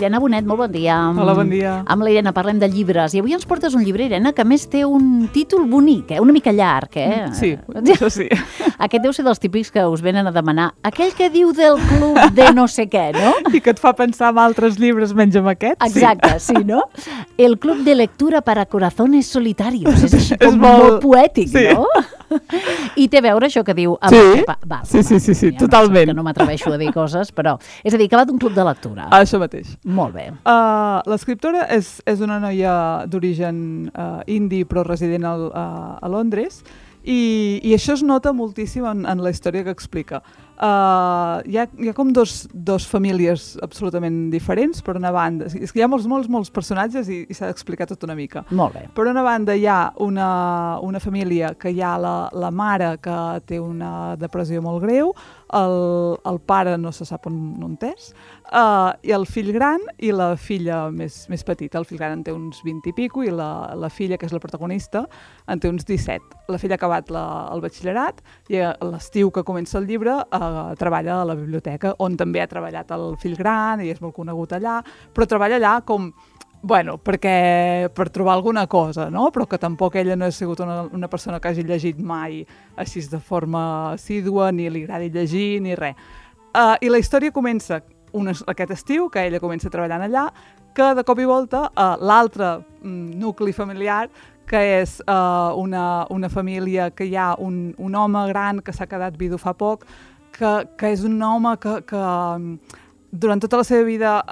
Irene Bonet, molt bon dia. Hola, bon dia. Amb la Irene parlem de llibres i avui ens portes un llibre, Irene, que a més té un títol bonic, una mica llarg, Sí, això sí. Aquest deu ser dels típics que us venen a demanar aquell que diu del club de no sé què, no? I que et fa pensar en altres llibres menys en aquest. Exacte, sí, no? El club de lectura para corazones solitarios. És així com És molt poètic, sí. no? I té a veure això que diu... Sí, totalment. Que no m'atreveixo a dir coses, però... És a dir, que va d'un club de lectura. Això mateix. Molt bé. L'escriptora és una noia d'origen indi però resident a Londres i això es nota moltíssim en la història que explica. Hi ha com dos famílies absolutament diferents. Per una banda, és que hi ha molts personatges i s'ha d'explicar tot una mica. Molt bé. Per una banda hi ha una família que hi ha la mare que té una depressió molt greu, el pare no se sap on és, i el fill gran i la filla més petita. El fill gran en té uns 20 i pico i la filla, que és la protagonista, en té uns 17. La filla ha acabat el batxillerat i a l'estiu que comença el llibre treballa a la biblioteca, on també ha treballat el fill gran i és molt conegut allà, però treballa allà com... Bueno, per trobar alguna cosa, no? Però que tampoc ella no ha sigut una persona que hagi llegit mai així de forma assídua, ni li agradi llegir, ni res. I la història comença aquest estiu, que ella comença treballant allà, que de cop i volta l'altre nucli familiar, que és una família que hi ha un home gran que s'ha quedat vidu fa poc, que és un home que durant tota la seva vida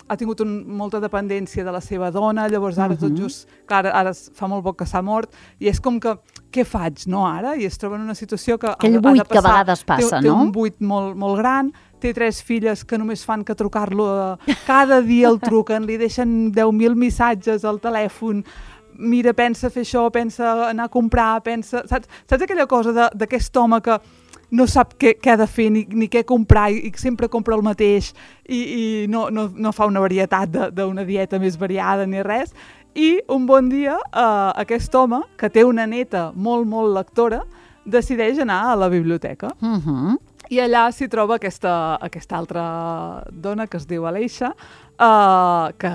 ha tingut molta dependència de la seva dona, llavors ara tot just, clar, ara fa molt poc que s'ha mort, i és com que, què faig, no, ara? I es troba en una situació que aquell buit que a vegades passa, no? Té un buit molt gran, té 3 filles que només fan que trucar-lo, cada dia el truquen, li deixen 10.000 missatges al telèfon, mira, pensa fer això, pensa anar a comprar, saps aquella cosa d'aquest home que no sap què ha de fer ni què comprar i sempre compra el mateix i no fa una varietat d'una dieta més variada ni res. I un bon dia aquest home, que té una neta molt lectora, decideix anar a la biblioteca. I allà s'hi troba aquesta altra dona que es diu Aleixa, que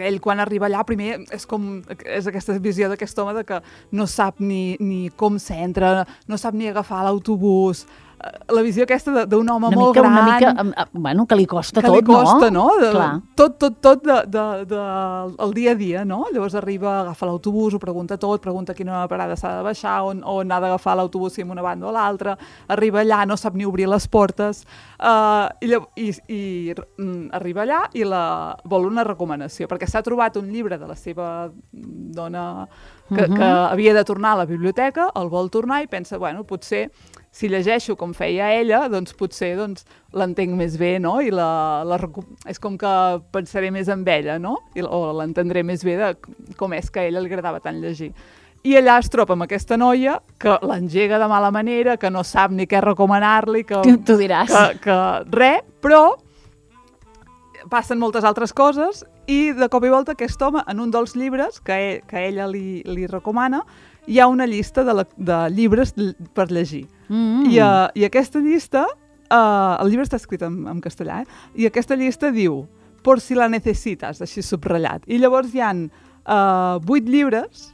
ell quan arriba allà primer és aquesta visió d'aquest home de que no sap ni com s'entra, no sap ni agafar l'autobús, la visió aquesta d'un home molt gran. Una mica, bueno, que li costa tot, no? Que li costa, no? Clar. Tot del dia a dia, no? Llavors arriba, agafa l'autobús, ho pregunta tot, pregunta quina parada s'ha de baixar, on ha d'agafar l'autobús si en una banda o l'altra, arriba allà, no sap ni obrir les portes, i arriba allà i vol una recomanació, perquè s'ha trobat un llibre de la seva dona que havia de tornar a la biblioteca, el vol tornar i pensa, bueno, potser si llegeixo com feia ella, doncs potser l'entenc més bé, no? I és com que pensaré més en ella, no? O l'entendré més bé de com és que a ella li agradava tant llegir. I allà es troba amb aquesta noia que l'engega de mala manera, que no sap ni què recomanar-li, que tu diràs. Que res, però passen moltes altres coses i de cop i volta aquest home, en un dels llibres que ella li recomana, hi ha una llista de llibres per llegir. I aquesta llista, el llibre està escrit en castellà, i aquesta llista diu, por si la necesitas, així subratllat. I llavors hi ha 8 llibres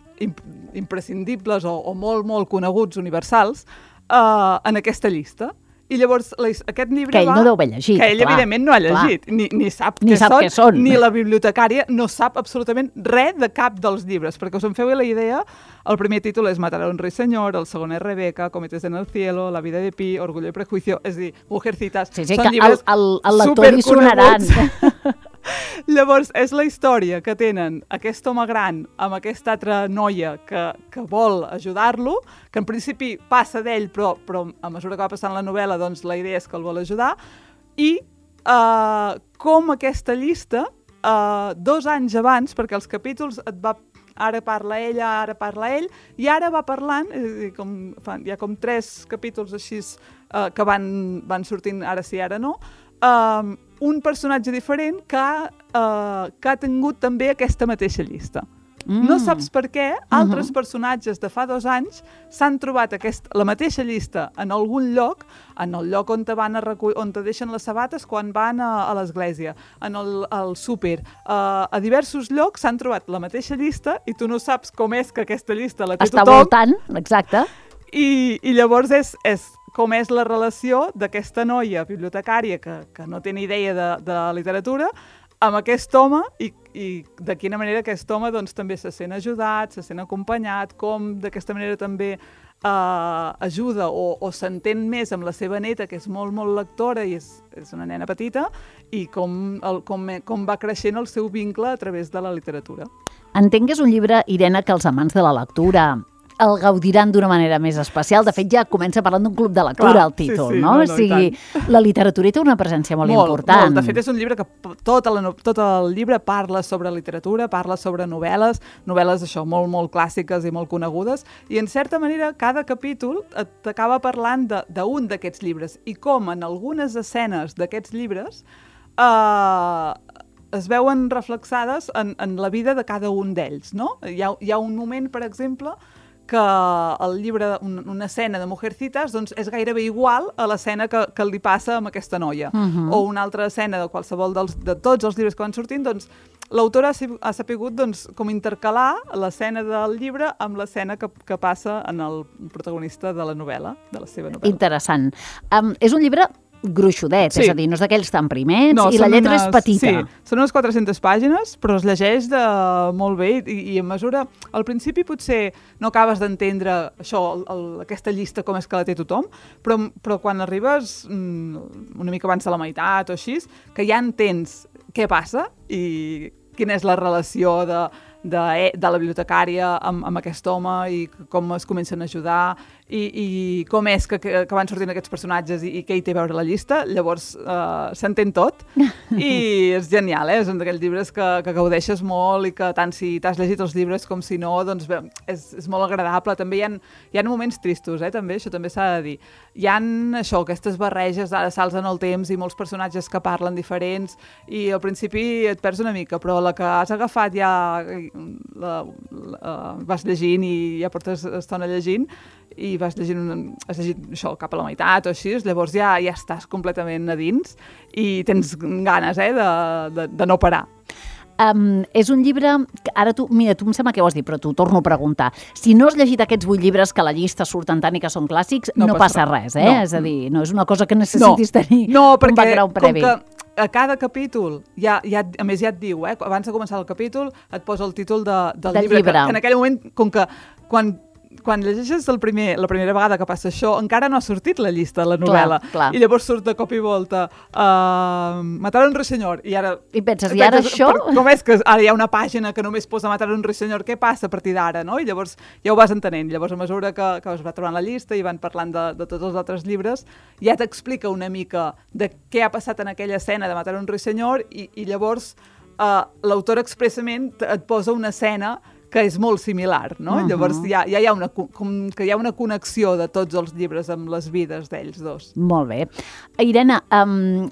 imprescindibles o molt coneguts, universals, en aquesta llista. I llavors aquest llibre que ell no deu haver llegit. Que ell, evidentment, no ha llegit. Ni sap què són. Ni la bibliotecària no sap absolutament res de cap dels llibres. Perquè us en feu la idea, el primer títol és Matar a un ruiseñor, el segon és Rebeca, Cometes en el cielo, La vida de Pi, Orgullo y prejuicio, és a dir, Mujercitas. Sí, són llibres superconeguts. Llavors, és la història que tenen aquest home gran amb aquesta altra noia que vol ajudar-lo, que en principi passa d'ell, però a mesura que va passant la novel·la, doncs la idea és que el vol ajudar, i com aquesta llista, 2 anys abans, perquè els capítols ara parla ella, ara parla ell, i ara va parlant, és a dir, hi ha com 3 capítols així que van sortint ara sí, ara no, un personatge diferent que ha tingut també aquesta mateixa llista. No saps per què altres personatges de fa 2 anys s'han trobat la mateixa llista en algun lloc, en el lloc on on te deixen les sabates quan van a l'església, en el súper, a diversos llocs s'han trobat la mateixa llista i tu no saps com és que aquesta llista la té Està tothom. voltant, exacte. I llavors és com és la relació d'aquesta noia bibliotecària que no té ni idea de literatura amb aquest home i de quina manera aquest home doncs, també se sent ajudat, se sent acompanyat, com d'aquesta manera també ajuda o s'entén més amb la seva neta, que és molt, molt lectora i és una nena petita, i com va creixent el seu vincle a través de la literatura. Entenc que és un llibre, Irene, que els amants de la lectura el gaudiran d'una manera més especial. De fet, ja comença parlant d'un club de lectura, Clar, el títol, sí, no? no, O sigui, la literatura té una presència molt important. Molt. De fet, és un llibre que tot el llibre parla sobre literatura, parla sobre novel·les això, molt, molt clàssiques i molt conegudes, i en certa manera cada capítol t'acaba parlant d'un d'aquests llibres, i com en algunes escenes d'aquests llibres es veuen reflexades en la vida de cada un d'ells, no? Hi ha un moment, per exemple, que el llibre, una escena de Mujercitas, doncs és gairebé igual a l'escena que li passa amb aquesta noia. O una altra escena de qualsevol de tots els llibres que van sortint, doncs l'autora ha sapigut doncs, com intercalar l'escena del llibre amb l'escena que passa en el protagonista de la novel·la, de la seva novel·la. Interessant. És un llibre gruixudet, Sí. és a dir, no és d'aquells tan primers, No, i la són lletra és petita. Sí, són unes 400 pàgines, però es llegeix molt bé i en mesura... Al principi potser no acabes d'entendre això, aquesta llista com és que la té tothom, però quan arribes una mica abans de la meitat o així, que ja entens què passa i quina és la relació de la bibliotecària amb aquest home i com es comencen a ajudar i com és que van sortint aquests personatges i què hi té a veure la llista, llavors s'entén tot i és genial, és un d'aquells llibres que gaudeixes molt i que tant si t'has llegit els llibres com si no, doncs bé, és molt agradable. També hi ha moments tristos, també, això també s'ha de dir. Hi ha aquestes barreges, ara salts en el temps i molts personatges que parlen diferents i al principi et perds una mica, però la que has agafat ja vas llegint i ja portes estona llegint i has llegit això cap a la meitat o així, llavors ja estàs completament a dins i tens ganes de no parar. És un llibre que ara tu em sembla que ho has dit, però t'ho torno a preguntar. Si no has llegit aquests 8 llibres que a la llista surten tant i que són clàssics, no passa res, eh? No. És a dir, no és una cosa que necessitis tenir un background previ. No, perquè a cada capítol, a més ja et diu, abans de començar el capítol et posa el títol del llibre. Que en aquell moment, com que quan llegeixes la primera vegada que passa això, encara no ha sortit la llista de la novel·la. Clar. I llavors surt de cop i volta Matar un ruiseñor. I penses, i ara això? Com és que ara hi ha una pàgina que només posa Matar un ruiseñor? Què passa a partir d'ara? No? I llavors ja ho vas entenent. Llavors, a mesura que es va trobant la llista i van parlant de tots els altres llibres, ja t'explica una mica de què ha passat en aquella escena de Matar un ruiseñor i llavors l'autor expressament et posa una escena que és molt similar, no? Llavors ja hi ha una connexió de tots els llibres amb les vides d'ells dos. Molt bé. Irene,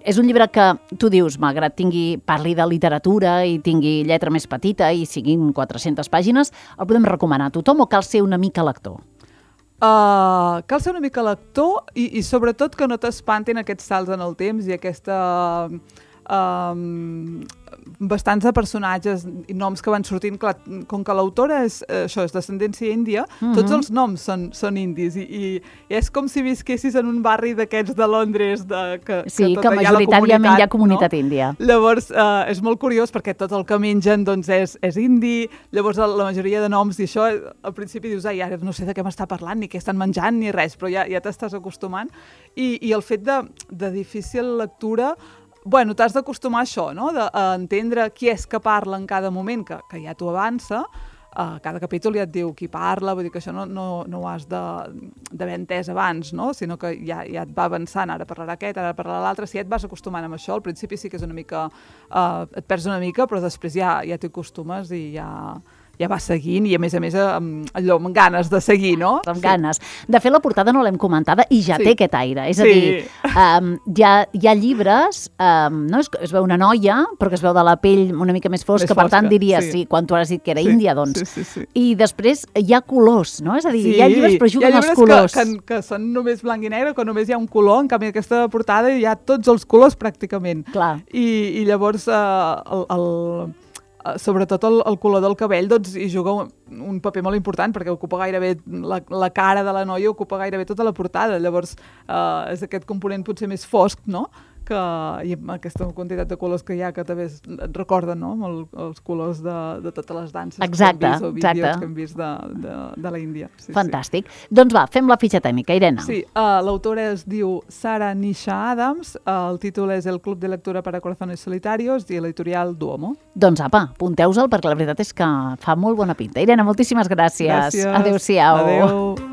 és un llibre que tu dius, malgrat parli de literatura i tingui lletra més petita i siguin 400 pàgines, el podem recomanar a tothom o cal ser una mica lector? Cal ser una mica lector i sobretot que no t'espantin aquests salts en el temps i aquesta... bastants de personatges i noms que van sortint, clar, com que l'autora és d'ascendència índia, tots els noms són indis i és com si visquessis en un barri d'aquests de Londres que majoritàriament hi ha comunitat índia. Llavors és molt curiós perquè tot el que mengen doncs és indi, llavors la majoria de noms i això al principi dius, ara no sé de què m'està parlant ni què estan menjant ni res, però ja t'estàs acostumant i el fet de difícil lectura, bueno, t'has d'acostumar a això, no? A entendre qui és que parla en cada moment, que ja t'ho avança. Cada capítol ja et diu qui parla, vull dir que això no ho has d'haver entès abans, no? Sinó que ja et va avançant, ara parlarà aquest, ara parlarà l'altre. Si ja et vas acostumant amb això, al principi sí que és una mica... et perds una mica, però després ja t'hi acostumes i ja ja vas seguint i a més allò amb ganes de seguir, no? Amb ganes. De fet, la portada no l'hem comentada i ja té aquest aire. És a dir, hi ha llibres, no? Es veu una noia, però que es veu de la pell una mica més fosca, per tant diries, quan tu has dit que era índia, doncs. I després hi ha colors, no? És a dir, hi ha llibres però juguen els colors. Hi ha llibres que són només blanc i negre, que només hi ha un color, en canvi aquesta portada hi ha tots els colors pràcticament. Clar. I llavors sobretot el color del cabell doncs, hi juga un paper molt important perquè ocupa gairebé la cara de la noia, ocupa gairebé tota la portada. Llavors és aquest component potser més fosc, no? I amb aquesta quantitat de colors que hi ha que també et recorden, no? Els colors de totes les danses que hem vist o vídeos que hem vist de la Índia. Fantàstic. Doncs va, fem la fitxa tècnica, Irene. Sí, l'autora es diu Sara Nisha Adams, el títol és El Club de Lectura para Corazones Solitarios i l'editorial Duomo. Doncs apa, apunteu-se'l perquè la veritat és que fa molt bona pinta. Irene, moltíssimes gràcies. Gràcies. Adéu-siau. Adéu.